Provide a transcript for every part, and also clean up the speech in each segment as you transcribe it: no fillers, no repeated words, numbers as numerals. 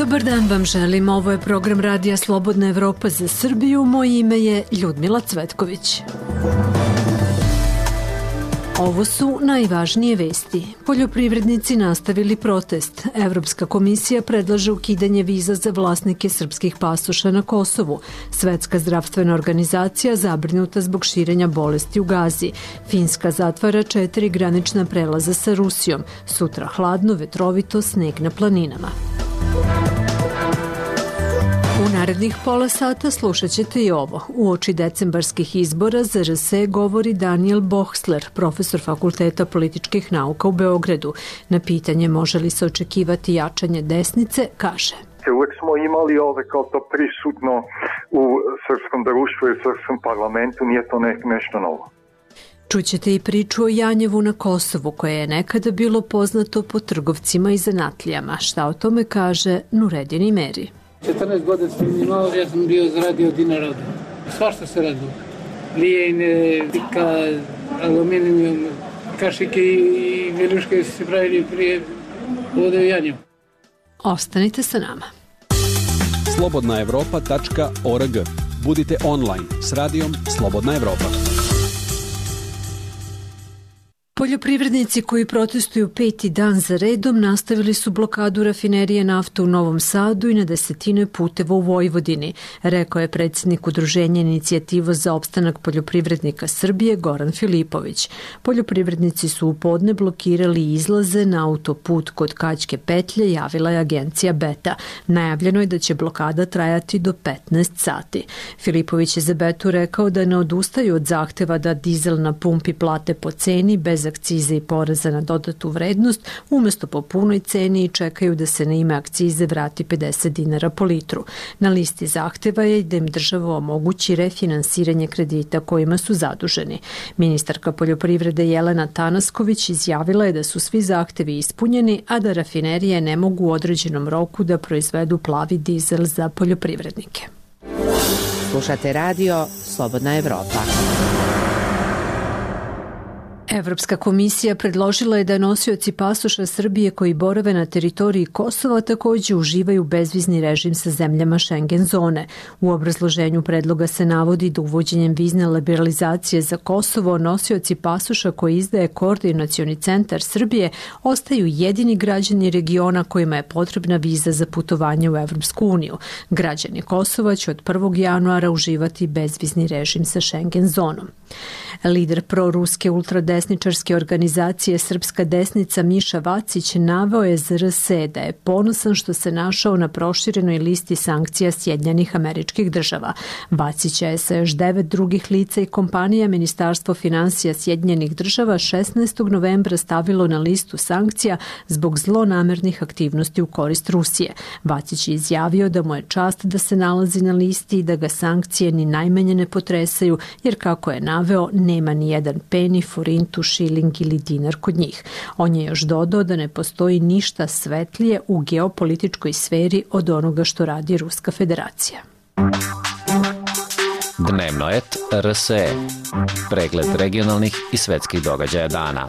Dobar dan vam želim, ovo je program Radija Slobodna Evropa za Srbiju, moje ime je Ljudmila Cvetković. Ovo su najvažnije vesti. Poljoprivrednici nastavili protest. Evropska komisija predlaže ukidanje viza za vlasnike srpskih pasoša na Kosovu. Svetska zdravstvena organizacija zabrinuta zbog širenja bolesti u Gazi. Finska zatvara 4 granična prelaza sa Rusijom. Sutra hladno, vetrovito, sneg na planinama. U narednih pola sata slušat ćete i ovo. Uoči decembarskih izbora za RS govori Daniel Bohsler, profesor Fakulteta političkih nauka u Beogradu. Na pitanje može li se očekivati jačanje desnice, kaže: Uvek smo imali kao to prisutno u srpskom društvu i srpskom parlamentu, nije to nešto novo. Čućete i priču o Janjevu na Kosovu, koje je nekada bilo poznato po trgovcima i zanatlijama. Šta o tome kaže Nuredin Imeri? 14 godina sam imao, ja sam bio zaradio dinara. Svašta se radilo. Lijene, pika, aluminijum, kašike i viljuške se pravili prije ovde u Janjevu. Ostanite sa nama. Slobodnaevropa.org. Budite online s radijom Slobodna Evropa. Poljoprivrednici koji protestuju 5. dan za redom nastavili su blokadu rafinerije nafte u Novom Sadu i na desetine puteva u Vojvodini, rekao je predsjednik Udruženja Inicijativa za opstanak poljoprivrednika Srbije Goran Filipović. Poljoprivrednici su u podne blokirali izlaze na autoput kod Kaćke petlje, javila je agencija Beta. Najavljeno je da će blokada trajati do 15 sati. Filipović je za Betu rekao da ne odustaju od zahteva da dizel na pumpi plate po ceni bez akcize i poreza na dodatu vrednost, umesto po punoj ceni, i čekaju da se na ime akcize vrati 50 dinara po litru. Na listi zahteva je da im država omogući refinansiranje kredita kojima su zaduženi. Ministarka poljoprivrede Jelena Tanasković izjavila je da su svi zahtevi ispunjeni, a da rafinerije ne mogu u određenom roku da proizvedu plavi dizel za poljoprivrednike. Slušate radio Slobodna Evropa. Evropska komisija predložila je da nosioci pasoša Srbije koji borave na teritoriji Kosova također uživaju bezvizni režim sa zemljama Schengen zone. U obrazloženju predloga se navodi da uvođenjem vizne liberalizacije za Kosovo nosioci pasoša koji izdaje Koordinacioni centar Srbije ostaju jedini građani regiona kojima je potrebna viza za putovanje u Evropsku uniju. Građani Kosova će od 1. januara uživati bezvizni režim sa Schengen zonom. Lider proruske ultradesničarske organizacije Srpska desnica Miša Vacić naveo je za RS da je ponosan što se našao na proširenoj listi sankcija Sjedinjenih Američkih Država. Vacića je sa još 9 drugih lica i kompanija Ministarstvo finansija Sjedinjenih Država 16. novembra stavilo na listu sankcija zbog zlonamernih aktivnosti u korist Rusije. Vacić je izjavio da mu je čast da se nalazi na listi i da ga sankcije ni najmanje ne potresaju, jer kako je naveo, nema ni jedan peni, forintu, šiling ili dinar kod njih. On je još dodao da ne postoji ništa svetlije u geopolitičkoj sferi od onoga što radi Ruska federacija. Dnevnoet RSE. Pregled regionalnih i svetskih događaja dana.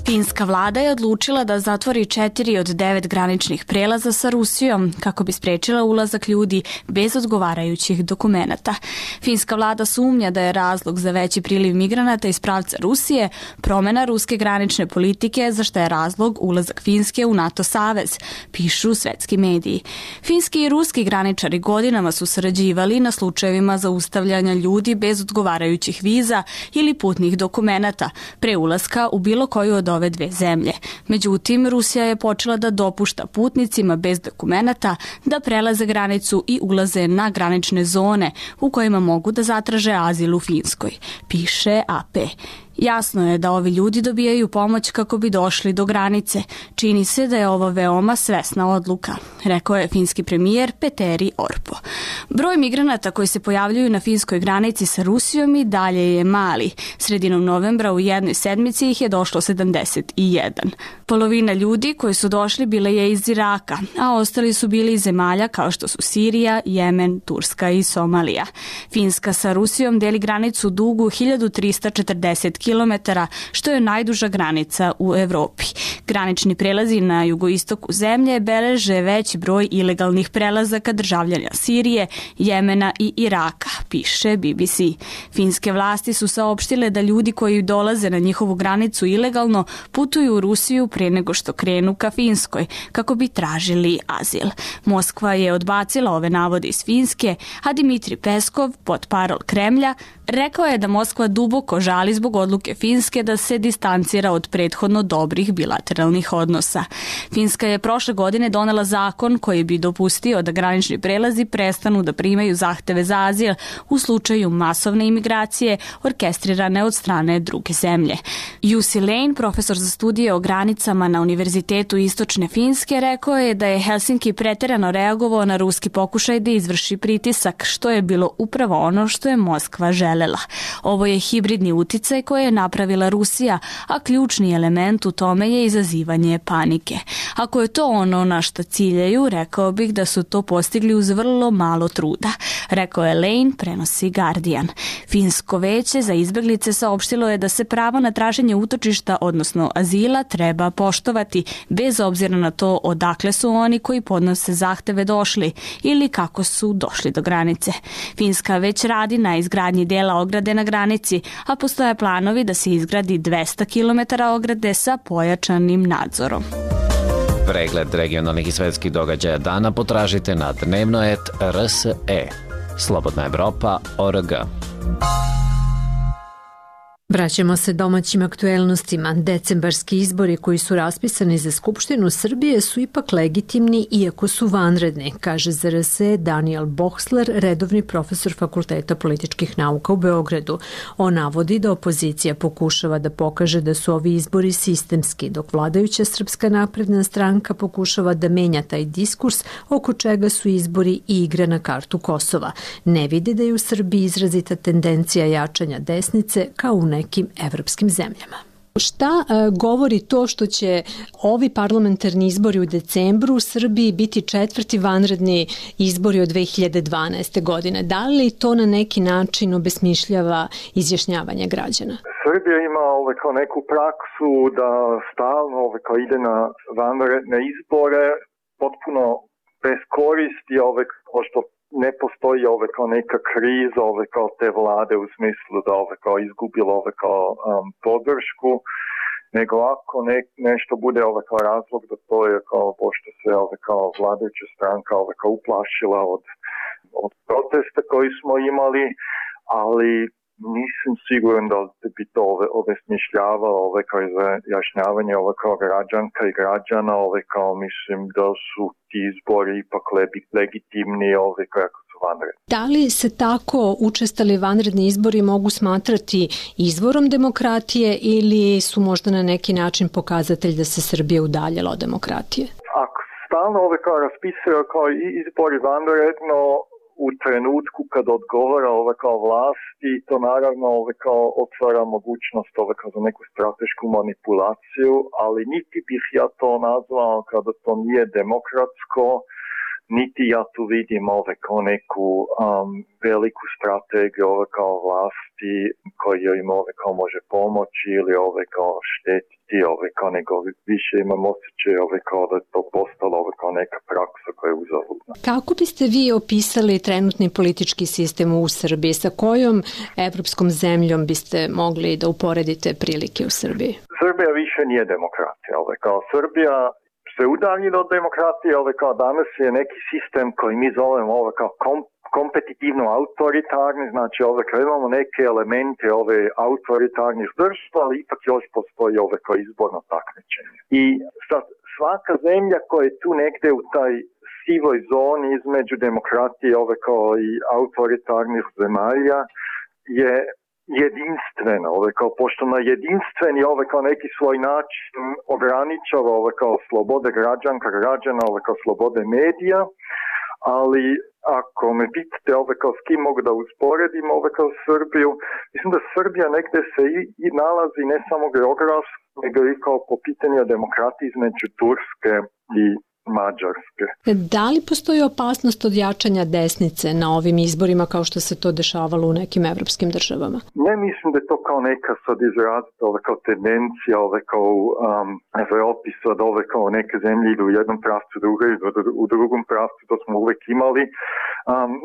Finska vlada je odlučila da zatvori 4 od 9 graničnih prelaza sa Rusijom kako bi sprečila ulazak ljudi bez odgovarajućih dokumenata. Finska vlada sumnja da je razlog za veći priliv migranata iz pravca Rusije promjena ruske granične politike, za što je razlog ulazak Finske u NATO savez, pišu svetski mediji. Finski i ruski graničari godinama su sarađivali na slučajevima zaustavljanja ljudi bez odgovarajućih viza ili putnih dokumenata pre ulaska u bilo koju od ove dve zemlje. Međutim, Rusija je počela da dopušta putnicima bez dokumenata da prelaze granicu i ulaze na granične zone u kojima mogu da zatraže azil u Finskoj, piše AP. Jasno je da ovi ljudi dobijaju pomoć kako bi došli do granice. Čini se da je ovo veoma svesna odluka, rekao je finski premijer Petteri Orpo. Broj migranata koji se pojavljuju na finskoj granici sa Rusijom i dalje je mali. Sredinom novembra u jednoj sedmici ih je došlo 71. Polovina ljudi koji su došli bila je iz Iraka, a ostali su bili iz zemalja kao što su Sirija, Jemen, Turska i Somalija. Finska sa Rusijom deli granicu dugu 1340 km, što je najduža granica u Evropi. Granični prelazi na jugoistoku zemlje beleže veći broj ilegalnih prelazaka državljana Sirije, Jemena i Iraka, piše BBC. Finske vlasti su saopštile da ljudi koji dolaze na njihovu granicu ilegalno putuju u Rusiju pre nego što krenu ka Finskoj, kako bi tražili azil. Moskva je odbacila ove navode iz Finske, a Dmitri Peskov, portparol Kremlja, rekao je da Moskva duboko žali zbog odluke Finske da se distancira od prethodno dobrih bilateralnih odnosa. Finska je prošle godine donela zakon koji bi dopustio da granični prelazi prestanu da primaju zahteve za azil u slučaju masovne imigracije orkestrirane od strane druge zemlje. Jussi Lane, profesor za studije o granicama na Univerzitetu Istočne Finske, rekao je da je Helsinki preterano reagovao na ruski pokušaj da izvrši pritisak, što je bilo upravo ono što je Moskva želela. Ovo je hibridni uticaj koji je napravila Rusija, a ključni element u tome je izazivanje panike. Ako je to ono na što ciljaju, rekao bih da su to postigli uz vrlo malo truda, rekao je Lane, prenosi Guardian. Finsko veće za izbeglice saopštilo je da se pravo na traženje utočišta, odnosno azila, treba poštovati, bez obzira na to odakle su oni koji podnose zahteve došli ili kako su došli do granice. Finska već radi na izgradnji dela ograde na granici, a postoje planovi da se izgradi 200 km ograde sa pojačanim nadzorom. Pregled regionalnih i svetskih događaja dana potražite na dnevnoet.rse. Slobodna Evropa.org. Vraćamo se domaćim aktuelnostima. Decembarski izbori koji su raspisani za Skupštinu Srbije su ipak legitimni iako su vanredni, kaže za RSE Daniel Bohsler, redovni profesor Fakulteta političkih nauka u Beogradu. On navodi da opozicija pokušava da pokaže da su ovi izbori sistemski, dok vladajuća Srpska napredna stranka pokušava da menja taj diskurs oko čega su izbori i igra na kartu Kosova. Ne vidi da je u Srbiji izrazita tendencija jačanja desnice kao u nekim evropskim zemljama. Šta govori to što će ovi parlamentarni izbori u decembru u Srbiji biti četvrti vanredni izbori od 2012. godine? Da li to na neki način obesmišljava izjašnjavanje građana? Srbija ima kao neku praksu da stalno kao ide na vanredne izbore potpuno bez koristi, što ne postoji kao neka kriza kao te vlade u smislu da kao izgubilo podršku, nego ako nešto bude kao razlog da to je pošto se kao vladajuća stranka kao uplašila od protesta koji smo imali, ali nisam siguran da bi to obesmišljavalo kao izjašnjavanje kao građanka i građana, kao mislim da su ti izbori ipak legitimni kako su vanredni. Da li se tako učestali vanredni izbori mogu smatrati izvorom demokratije ili su možda na neki način pokazatelj da se Srbija udaljila od demokratije? Ako stalno kao raspisuje kao izbori vanredno, u trenutku kad odgovara kao vlasti, to naravno kao otvara mogućnost kao za neku stratešku manipulaciju, ali niti bih ja to nazvao kada to nije demokratsko, niti ja tu vidim kao neku veliku strategiju kao vlasti koja im kao može pomoći ili kao štetiti, kao nego više imam osjećaj kao da je to postalo kao neka praksa koja je uzaludna. Kako biste vi opisali trenutni politički sistem u Srbiji? Sa kojom evropskom zemljom biste mogli da uporedite prilike u Srbiji? Srbija više nije demokratija. Kao Srbija se udaljila od demokratije, kao danas je neki sistem koji mi zovemo kao kompetitivno autoritarni, znači kao imamo neke elemente autoritarnih država, ali ipak još postoji kao izborno takmičenje. I sad svaka zemlja koja je tu negde u taj sivoj zoni između demokratije kao i autoritarnih zemalja je jedinstveno, kao pošto na jedinstveni kao neki svoj način ograničava kao slobode građana, kao slobode medija, ali ako me pitate kao s kim mogu da usporedim kao Srbiju, mislim da Srbija negde se i nalazi ne samo geografski, nego i kao po pitanju demokratije između Turske i Mađarske. Da li postoji opasnost od jačanja desnice na ovim izborima kao što se to dešavalo u nekim evropskim državama? Ne mislim da je to kao neka sad izrazita kao tendencija, kao u Evropi sad kao neke zemlje idu u jednom pravcu, u drugom pravcu, to smo uvek imali.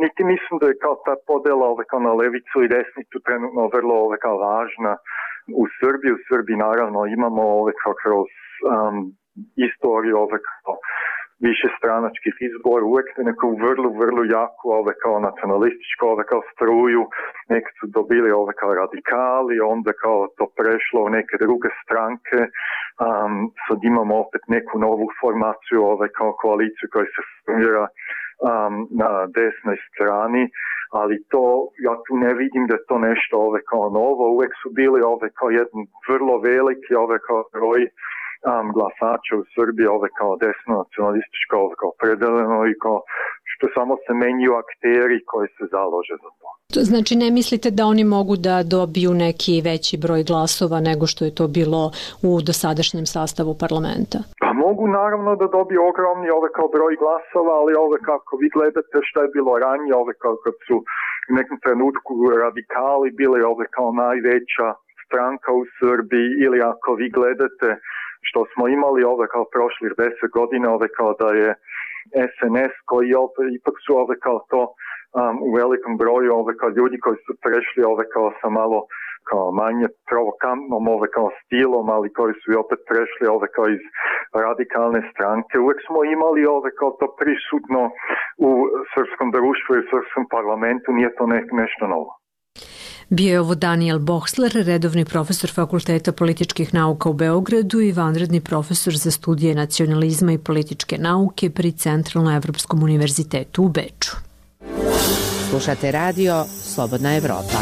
Niti mislim da je kao ta podela kao na levicu i desnicu trenutno vrlo kao važna u Srbiji. U Srbiji naravno imamo kao kroz istoriju kao više stranačkih izbora, uvek neku vrlo jaku kao nacionalističku kao struju, neki su dobili kao radikali, onda kao to prešlo u neke druge stranke, sad imamo opet neku novu formaciju kao koaliciju koja se formira na desnoj strani, ali to, ja tu ne vidim da je to nešto kao novo, uvek su bili kao jedan vrlo veliki kao broj glasača u Srbiji, kao desno nacionalističko, kao predeljeno i kao što samo se menjuju akteri koji se založe za to. Znači ne mislite da oni mogu da dobiju neki veći broj glasova nego što je to bilo u dosadašnjem sastavu parlamenta? Pa mogu naravno da dobiju ogromni kao broj glasova, ali kako vi gledate šta je bilo ranije, kao kad su u nekom trenutku radikali bili kao najveća stranka u Srbiji, ili ako vi gledate što smo imali kao prošlih 10 godina, kao da je SNS koji ipak su kao to u velikom broju kao ljudi koji su prešli kao sa malo kao manje provokantnom kao stilom, ali koji su i opet prešli kao iz radikalne stranke. Uvek smo imali kao to prisutno u srpskom društvu i srpskom parlamentu, nije to nešto novo. Bio je ovo Daniel Bohsler, redovni profesor Fakulteta političkih nauka u Beogradu i vanredni profesor za studije nacionalizma i političke nauke pri Centralno-evropskom univerzitetu u Beču. Slušate radio Slobodna Evropa.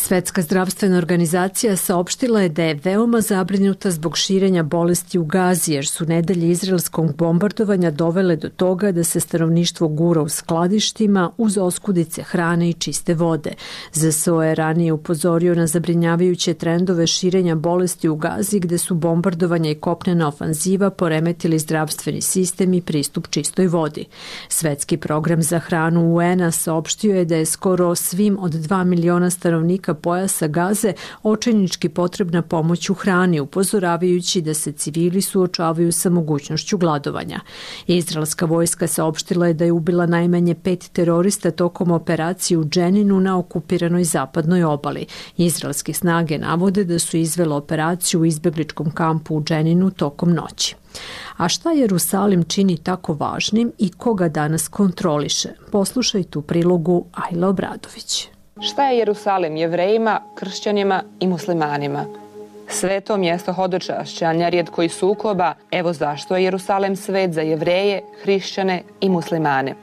Svetska zdravstvena organizacija saopštila je da je veoma zabrinuta zbog širenja bolesti u Gazi, jer su nedelje izraelskog bombardovanja dovele do toga da se stanovništvo gura u skladištima uz oskudice hrane i čiste vode. ZSO je ranije upozorio na zabrinjavajuće trendove širenja bolesti u Gazi, gde su bombardovanja i kopnena ofanziva poremetili zdravstveni sistem i pristup čistoj vodi. Svetski program za hranu UN-a saopštio je da je skoro svim od 2 miliona stanovnika pojasa Gaze očajnički potrebna pomoć u hrani, upozoravajući da se civili suočavaju sa mogućnošću gladovanja. Izraelska vojska saopštila je da je ubila najmanje 5 terorista tokom operacije u Dženinu na okupiranoj zapadnoj obali. Izraelske snage navode da su izvele operaciju u izbegličkom kampu u Dženinu tokom noći. A šta Jerusalim čini tako važnim i koga danas kontroliše? Poslušajte u prilogu Ajla Obradović. Šta je Jerusalim Jevrejima, kršćanima i muslimanima? Sveto mjesto hodočašća, nerijetko i sukoba, evo zašto je Jerusalim svet za Jevreje, hrišćane i muslimane.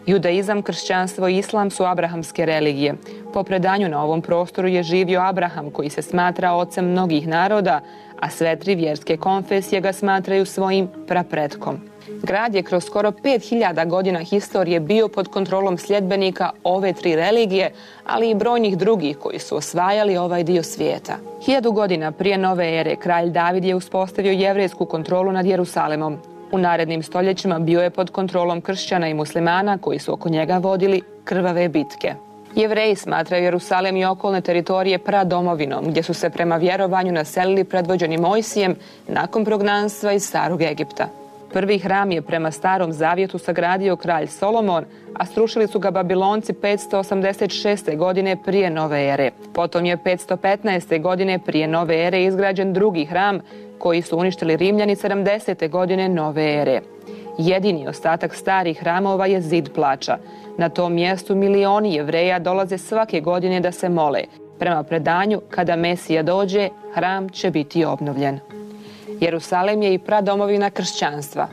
Judaizam, kršćanstvo i islam su abrahamske religije. Po predanju na ovom prostoru je živio Abraham, koji se smatra ocem mnogih naroda, a sve 3 vjerske konfesije ga smatraju svojim prapretkom. Grad je kroz skoro 5000 godina historije bio pod kontrolom sljedbenika ove 3 religije, ali i brojnih drugih koji su osvajali ovaj dio svijeta. 1000 godina prije nove ere kralj David je uspostavio jevrejsku kontrolu nad Jerusalimom. U narednim stoljećima bio je pod kontrolom kršćana i muslimana koji su oko njega vodili krvave bitke. Jevreji smatraju Jerusalim i okolne teritorije pradomovinom, gdje su se prema vjerovanju naselili predvođeni Mojsijem nakon prognanstva iz Starog Egipta. Prvi hram je prema Starom Zavjetu sagradio kralj Solomon, a srušili su ga Babilonci 586. godine prije nove ere. Potom je 515. godine prije nove ere izgrađen drugi hram, koji su uništili Rimljani 70. godine nove ere. Jedini ostatak starih hramova je Zid plača. Na tom mjestu milioni Jevreja dolaze svake godine da se mole. Prema predanju, kada Mesija dođe, hram će biti obnovljen. Jerusalim je i pradomovina kršćanstva.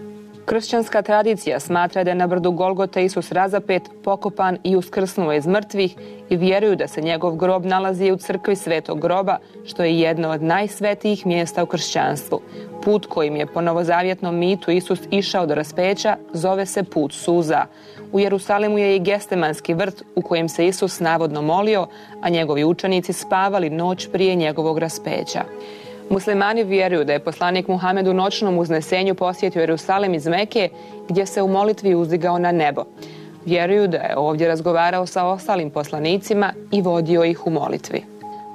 Kršćanska tradicija smatra da je na brdu Golgote Isus razapet, pokopan i uskrsnuo iz mrtvih i vjeruju da se njegov grob nalazi u crkvi Svetog groba, što je jedno od najsvetijih mjesta u kršćanstvu. Put kojim je po novozavjetnom mitu Isus išao do raspeća zove se put suza. U Jerusalimu je i Gestemanski vrt u kojem se Isus navodno molio, a njegovi učenici spavali noć prije njegovog raspeća. Muslimani vjeruju da je poslanik Muhamed u noćnom uznesenju posjetio Jerusalim iz Meke, gdje se u molitvi uzdigao na nebo. Vjeruju da je ovdje razgovarao sa ostalim poslanicima i vodio ih u molitvi.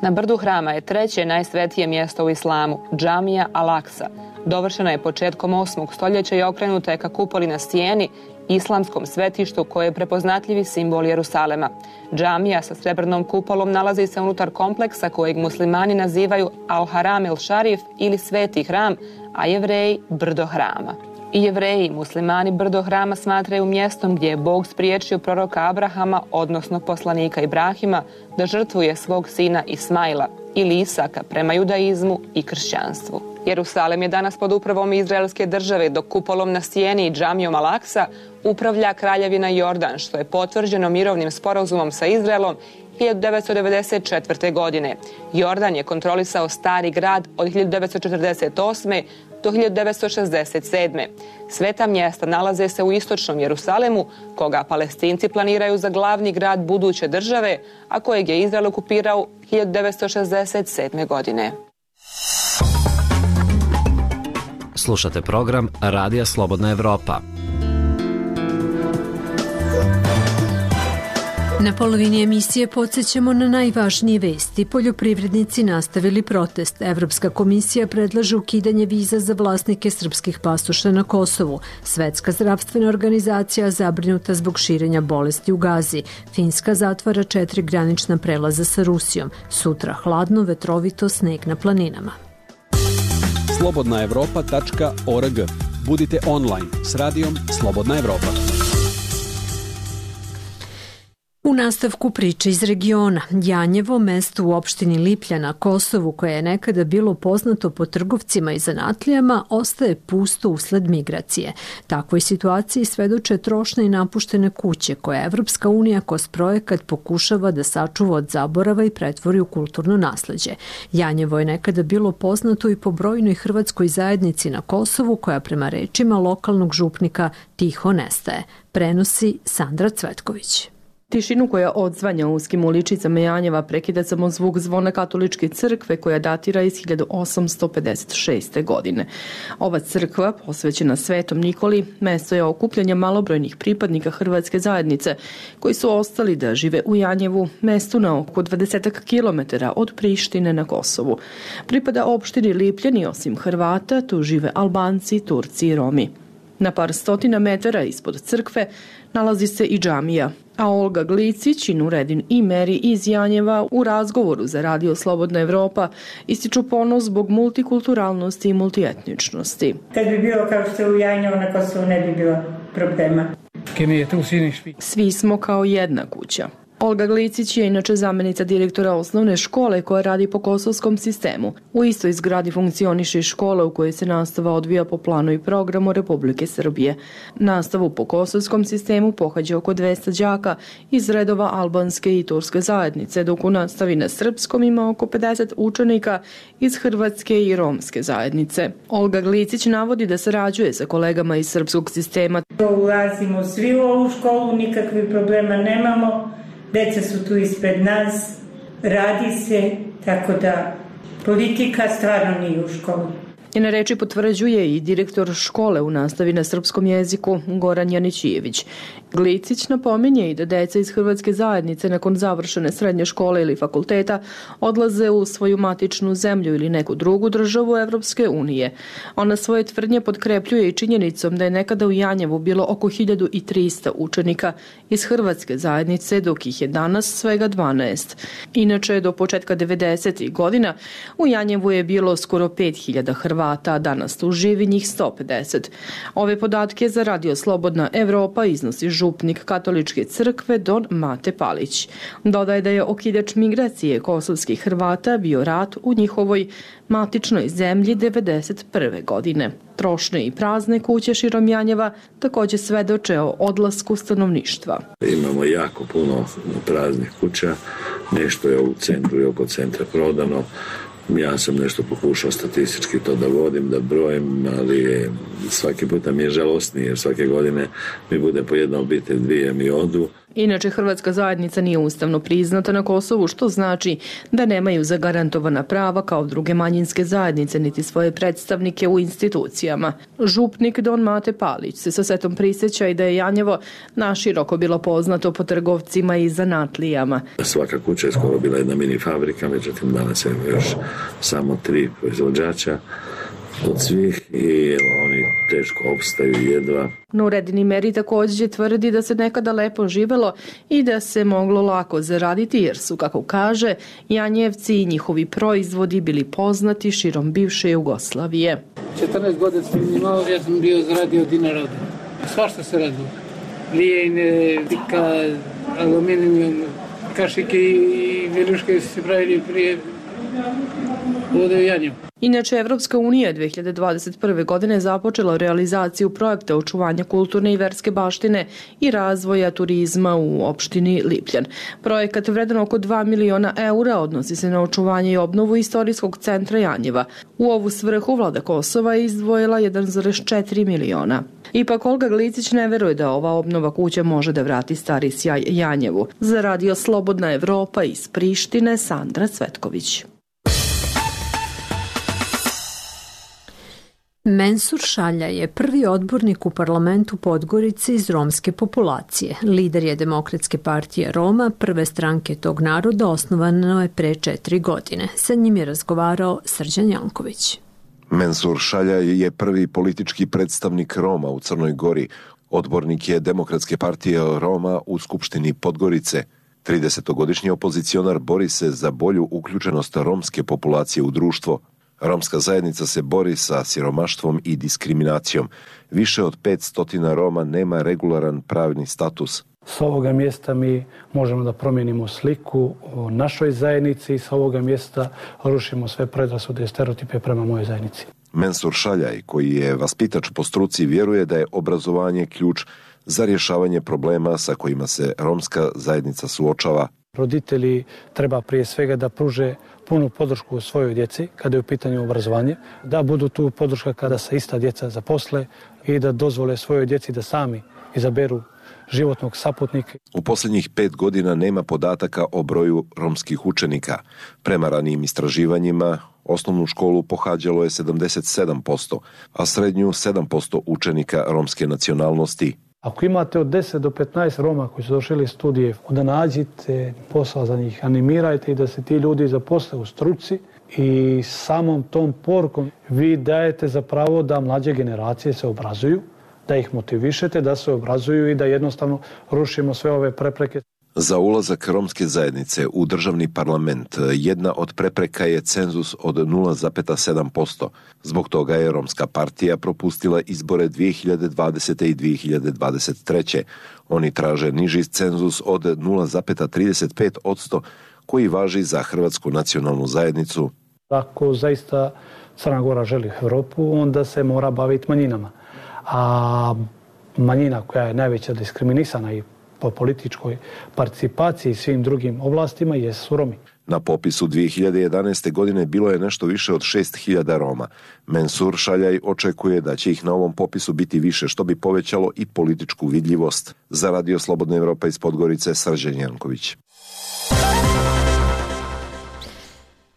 Na brdu hrama je treće najsvetije mjesto u islamu, džamija Al-Aksa. Dovršena je početkom 8. stoljeća i okrenuta je ka kupoli na stijeni, islamskom svetištu koje je prepoznatljivi simbol Jerusalema. Džamija sa srebrnom kupolom nalazi se unutar kompleksa kojeg muslimani nazivaju Al-Haram el-Sharif ili Sveti hram, a Jevreji brdo hrama. I Jevreji i muslimani brdo hrama smatraju mjestom gdje je Bog spriječio proroka Abrahama, odnosno poslanika Ibrahima, da žrtvuje svog sina Ismaila ili Isaka prema judaizmu i kršćanstvu. Jerusalem je danas pod upravom Izraelske države, dok kupolom na stijeni i džamijom Al-Aksa upravlja kraljevina Jordan, što je potvrđeno mirovnim sporazumom sa Izraelom 1994. godine. Jordan je kontrolisao Stari grad od 1948. do 1967. Sveta mjesta nalaze se u istočnom Jerusalemu, koga Palestinci planiraju za glavni grad buduće države, a kojeg je Izrael okupirao 1967. godine. Slušate program Radija Slobodna Evropa. Na polovini emisije podsjećamo na najvažnije vesti. Poljoprivrednici nastavili protest. Evropska komisija predlaže ukidanje viza za vlasnike srpskih pasoša na Kosovu. Svetska zdravstvena organizacija zabrinuta zbog širenja bolesti u Gazi. Finska zatvara 4 granična prelaza sa Rusijom. Sutra hladno, vetrovito, sneg na planinama. slobodnaevropa.org. Budite online s radijom Slobodna Evropa. U nastavku priče iz regiona, Janjevo, mesto u opštini Liplja na Kosovu, koje je nekada bilo poznato po trgovcima i zanatlijama, ostaje pusto usled migracije. Takvoj situaciji svedoče trošne i napuštene kuće koje Evropska unija kroz projekat pokušava da sačuva od zaborava i pretvori u kulturno nasleđe. Janjevo je nekada bilo poznato i po brojnoj hrvatskoj zajednici na Kosovu, koja prema rečima lokalnog župnika tiho nestaje. Prenosi Sandra Cvetković. Tišinu koja odzvanja uskim uličicama Janjeva prekida samo zvuk zvona katoličke crkve koja datira iz 1856. godine. Ova crkva, posvećena Svetom Nikoli, mesto je okupljanja malobrojnih pripadnika hrvatske zajednice koji su ostali da žive u Janjevu, mestu na oko 20 kilometara od Prištine na Kosovu. Pripada opštini Lipljani, osim Hrvata, tu žive Albanci, Turci i Romi. Na par stotina metara ispod crkve nalazi se i džamija, a Olga Glicić i Nuredin i Meri iz Janjeva u razgovoru za Radio Slobodna Evropa ističu ponos zbog multikulturalnosti i multietničnosti. Kad bi bilo kao što je u Janjevu na Kosovu ne bi bilo problema. Svi smo kao jedna kuća. Olga Glicić je inače zamjenica direktora osnovne škole koja radi po kosovskom sistemu. U istoj zgradi funkcioniše škola u kojoj se nastava odvija po planu i programu Republike Srbije. Nastavu po kosovskom sistemu pohađa oko 200 đaka iz redova albanske i turske zajednice, dok u nastavi na srpskom ima oko 50 učenika iz hrvatske i romske zajednice. Olga Glicić navodi da sarađuje sa kolegama iz srpskog sistema. Ulazimo svi u ovu školu, nikakvih problema nemamo. Deca su tu ispred nas, radi se, tako da politika stvarno nije u školu. Njene reči potvrđuje i direktor škole u nastavi na srpskom jeziku Goran Janićijević. Glicić napominje i da deca iz hrvatske zajednice nakon završene srednje škole ili fakulteta odlaze u svoju matičnu zemlju ili neku drugu državu Evropske unije. Ona svoje tvrdnje potkrepljuje i činjenicom da je nekada u Janjevu bilo oko 1300 učenika iz hrvatske zajednice, dok ih je danas svega 12. Inače, do početka 90. godina u Janjevu je bilo skoro 5000 Hrvata, a danas tu živi njih 150. Ove podatke za Radio Slobodna Evropa iznosi župnik katoličke crkve Don Mate Palić. Dodaje da je okidač migracije kosovskih Hrvata bio rat u njihovoj matičnoj zemlji 1991. godine. Trošne i prazne kuće širom Janjeva također svedoče o odlasku stanovništva. Imamo jako puno praznih kuća, nešto je u centru i oko centra prodano. Ja sam nešto pokušao statistički to da vodim, da brojim, ali svaki puta mi je žalosnije, jer svake godine mi bude po jedna obitelj, dvije mi odu. Inače, hrvatska zajednica nije ustavno priznata na Kosovu, što znači da nemaju zagarantovana prava kao druge manjinske zajednice niti svoje predstavnike u institucijama. Župnik Don Mate Palić se sa setom prisjeća i da je Janjevo naširoko bilo poznato po trgovcima i zanatlijama. Svaka kuća je skoro bila jedna mini fabrika, međutim danas je još samo 3 proizvođača od svih i oni teško opstaju jedva. Nureddin Imeri također tvrdi da se nekada lepo živelo i da se moglo lako zaraditi jer su, kako kaže, Janjevci i njihovi proizvodi bili poznati širom bivše Jugoslavije. 14 godina sam imao, ja sam bio zaradio dinara. Svašta se radilo. Lijene, tika, aluminijum, kašike i viljuške se pravili prije ovdje u Janjevu. Inače, Evropska unija 2021. godine započela realizaciju projekta očuvanja kulturne i verske baštine i razvoja turizma u opštini Lipljan. Projekat vredan oko 2 miliona eura odnosi se na očuvanje i obnovu istorijskog centra Janjeva. U ovu svrhu vlada Kosova je izdvojila 1,4 miliona. Ipak Olga Glicić ne veruje da ova obnova kuće može da vrati stari sjaj Janjevu. Za Radio Slobodna Evropa iz Prištine, Sandra Cvetković. Mensur Šalja je prvi odbornik u parlamentu Podgorice iz romske populacije. Lider je Demokratske partije Roma, prve stranke tog naroda, osnovano je pre 4 godine. Sa njim je razgovarao Srđan Janković. Mensur Šalja je prvi politički predstavnik Roma u Crnoj Gori. Odbornik je Demokratske partije Roma u Skupštini Podgorice. 30-godišnji opozicionar bori se za bolju uključenost romske populacije u društvo. Romska zajednica se bori sa siromaštvom i diskriminacijom. Više od 500 Roma nema regularan pravni status. S ovoga mjesta mi možemo da promijenimo sliku o našoj zajednici i s ovoga mjesta rušimo sve predrasude i stereotipe prema mojoj zajednici. Mensur Šaljaj, koji je vaspitač po struci, vjeruje da je obrazovanje ključ za rješavanje problema sa kojima se romska zajednica suočava. Roditelji treba prije svega da pruže punu podršku svojoj djeci kada je u pitanju obrazovanje, da budu tu podrška kada se ista djeca zaposle i da dozvole svojoj djeci da sami izaberu životnog saputnika. U posljednjih 5 godina nema podataka o broju romskih učenika. Prema ranijim istraživanjima, osnovnu školu pohađalo je 77%, a srednju 7% učenika romske nacionalnosti. Ako imate od 10 do 15 Roma koji su došli studije, onda nađite posao za njih, animirajte i da se ti ljudi zaposle u struci i samom tom porukom vi dajete za pravo da mlađe generacije se obrazuju, da ih motivišete, da se obrazuju i da jednostavno rušimo sve ove prepreke. Za ulazak romske zajednice u državni parlament jedna od prepreka je cenzus od 0,7%. Zbog toga je Romska partija propustila izbore 2020. i 2023. Oni traže niži cenzus od 0,35% koji važi za Hrvatsku nacionalnu zajednicu. Ako zaista Crna Gora želi Europu, onda se mora baviti manjinama. A manjina koja je najveća diskriminisana i po političkoj participaciji i svim drugim oblastima jesu Romi. Na popisu 2011. godine bilo je nešto više od 6.000 Roma. Mensur Šaljaj očekuje da će ih na ovom popisu biti više, što bi povećalo i političku vidljivost. Za Radio Slobodna Evropa iz Podgorice, Srđan Janković.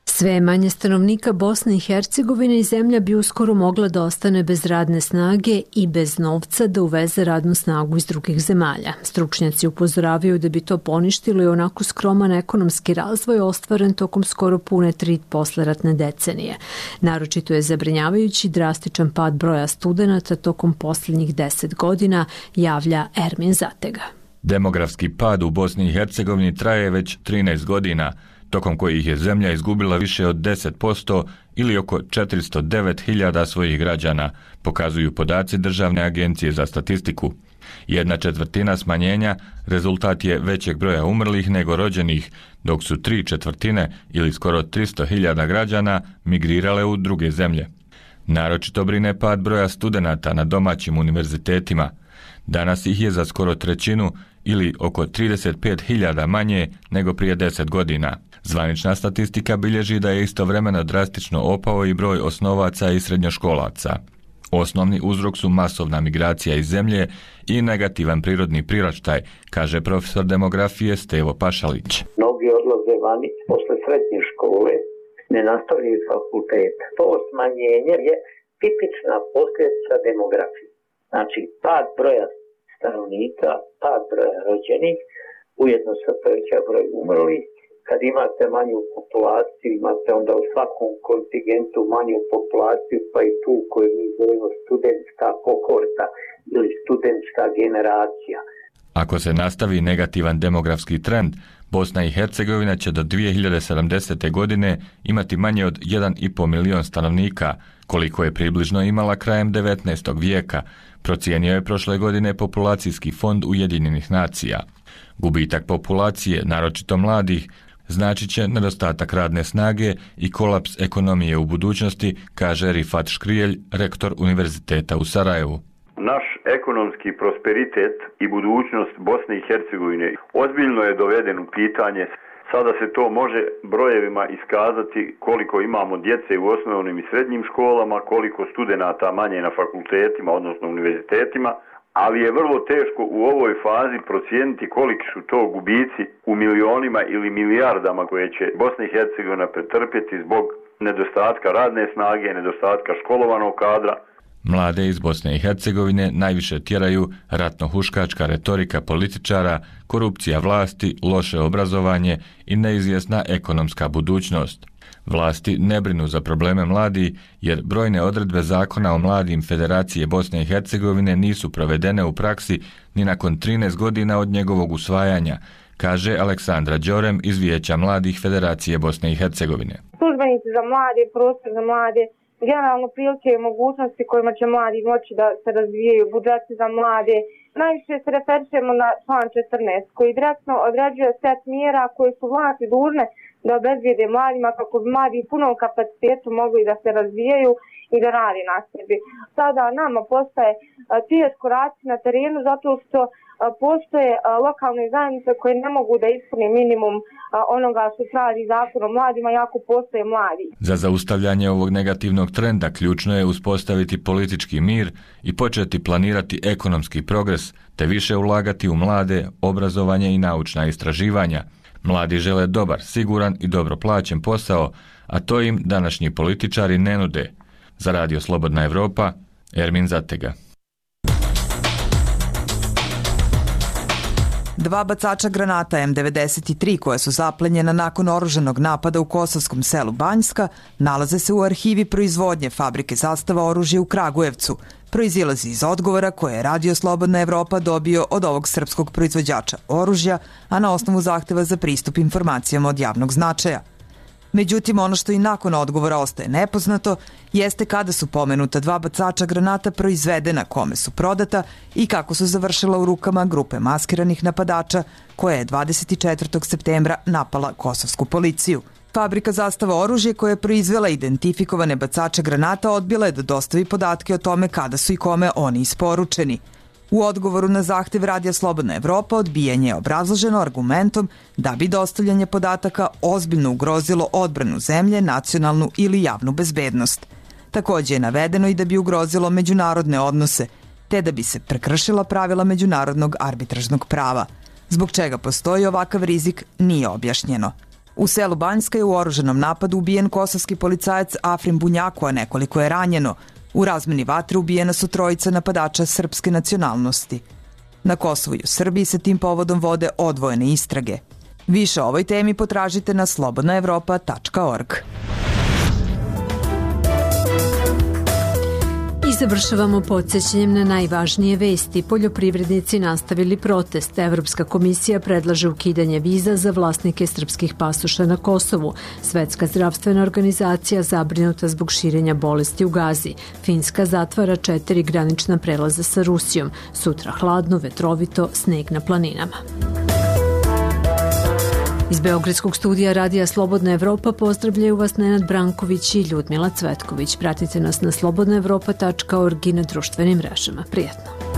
Sve manje stanovnika Bosne i Hercegovine i zemlja bi uskoro mogla da ostane bez radne snage i bez novca da uveze radnu snagu iz drugih zemalja. Stručnjaci upozoravaju da bi to poništilo i onako skroman ekonomski razvoj ostvaren tokom skoro pune 3 posleratne decenije. Naročito je zabrinjavajući drastičan pad broja studenata tokom posljednjih 10 godina, javlja Ermin Zatega. Demografski pad u Bosni i Hercegovini traje već 13 godina, tokom kojih je zemlja izgubila više od 10% ili oko 409.000 svojih građana, pokazuju podaci Državne agencije za statistiku. 1/4 smanjenja rezultat je većeg broja umrlih nego rođenih, dok su 3/4 ili skoro 300.000 građana migrirale u druge zemlje. Naročito brine pad broja studenata na domaćim univerzitetima. Danas ih je za skoro trećinu ili oko 35.000 manje nego prije 10 godina. Zvanična statistika bilježi da je istovremeno drastično opao i broj osnovaca i srednjoškolaca. Osnovni uzrok su masovna migracija iz zemlje i negativan prirodni priraštaj, kaže profesor demografije Stevo Pašalić. Mnogi odlaze vani posle srednje škole, ne nastavljaju fakultet. To smanjenje je tipična posljedica demografije. Znači, pad broja stanovnika, pad broja rođenih, ujedno se poveća broj umrlih. Kad imate manju populaciju, imate onda u svakom kontingentu manju populaciju, pa i tu koju mi zovemo studentska kohorta ili studentska generacija. Ako se nastavi negativan demografski trend, Bosna i Hercegovina će do 2070. godine imati manje od 1,5 milion stanovnika, koliko je približno imala krajem 19. vijeka, procijenio je prošle godine populacijski fond Ujedinjenih nacija. Gubitak populacije, naročito mladih, znači će nedostatak radne snage i kolaps ekonomije u budućnosti, kaže Rifat Škrijelj, rektor Univerziteta u Sarajevu. Naš ekonomski prosperitet i budućnost Bosne i Hercegovine ozbiljno je doveden u pitanje. Sada se to može brojevima iskazati koliko imamo djece u osnovnim i srednjim školama, koliko studenata manje na fakultetima, odnosno univerzitetima, ali je vrlo teško u ovoj fazi procijeniti koliki su to gubici u milionima ili milijardama koje će Bosna i Hercegovina pretrpjeti zbog nedostatka radne snage, nedostatka školovanog kadra. Mlade iz Bosne i Hercegovine najviše tjeraju ratno-huškačka retorika političara, korupcija vlasti, loše obrazovanje i neizvjesna ekonomska budućnost. Vlasti ne brinu za probleme mladih jer brojne odredbe zakona o mladim Federacije Bosne i Hercegovine nisu provedene u praksi ni nakon 13 godina od njegovog usvajanja, kaže Aleksandra Đorem iz Vijeća mladih Federacije Bosne i Hercegovine. Službenici za mlade, prostor za mlade, generalno prilike i mogućnosti kojima će mladi moći da se razvijaju, budžeti za mlade. Najviše se referišemo na član 14 koji direktno određuje set mjera koje su vlasti dužne da obezbijede mladima kako bi mladi u punom kapacitetu mogli da se razvijaju i da radi na sebi. Sada nama postaje teško raditi na terenu zato što postoje lokalne zajednice koje ne mogu da ispune minimum onoga što traži zakon o mladima, jako postoje mladi. Za zaustavljanje ovog negativnog trenda ključno je uspostaviti politički mir i početi planirati ekonomski progres, te više ulagati u mlade, obrazovanje i naučna istraživanja. Mladi žele dobar, siguran i dobro plaćen posao, a to im današnji političari ne nude. Za Radio Slobodna Evropa, Ermin Zatega. 2 bacača granata M93 koja su zaplenjena nakon oružanog napada u kosovskom selu Banjska nalaze se u arhivi proizvodnje fabrike Zastava oružja u Kragujevcu. Proizilazi iz odgovora koje je Radio Slobodna Evropa dobio od ovog srpskog proizvođača oružja, a na osnovu zahteva za pristup informacijama od javnog značaja. Međutim, ono što i nakon odgovora ostaje nepoznato jeste kada su pomenuta 2 bacača granata proizvedena, kome su prodata i kako su završila u rukama grupe maskiranih napadača koja je 24. septembra napala kosovsku policiju. Fabrika Zastava oružje koja je proizvela identifikovane bacače granata odbila je da dostavi podatke o tome kada su i kome oni isporučeni. U odgovoru na zahtev Radija Slobodna Evropa odbijanje je obrazloženo argumentom da bi dostavljanje podataka ozbiljno ugrozilo odbranu zemlje, nacionalnu ili javnu bezbednost. Također je navedeno i da bi ugrozilo međunarodne odnose, te da bi se prekršila pravila međunarodnog arbitražnog prava. Zbog čega postoji ovakav rizik nije objašnjeno. U selu Banjska je u oružanom napadu ubijen kosovski policajac Afrim Bunjaku, a nekoliko je ranjeno. U razmeni vatre ubijena su 3 napadača srpske nacionalnosti. Na Kosovu i u Srbiji se tim povodom vode odvojene istrage. Više o ovoj temi potražite na slobodnaevropa.org. I završavamo podsjećanjem na najvažnije vesti. Poljoprivrednici nastavili protest. Evropska komisija predlaže ukidanje viza za vlasnike srpskih pasoša na Kosovu. Svetska zdravstvena organizacija zabrinuta zbog širenja bolesti u Gazi. Finska zatvara 4 granična prelaza sa Rusijom. Sutra hladno, vetrovito, sneg na planinama. Iz Beogradskog studija Radija Slobodna Evropa pozdravljaju vas Nenad Branković i Ljudmila Cvetković. Pratite nas na slobodnaevropa.org i na društvenim mrežama. Prijetno!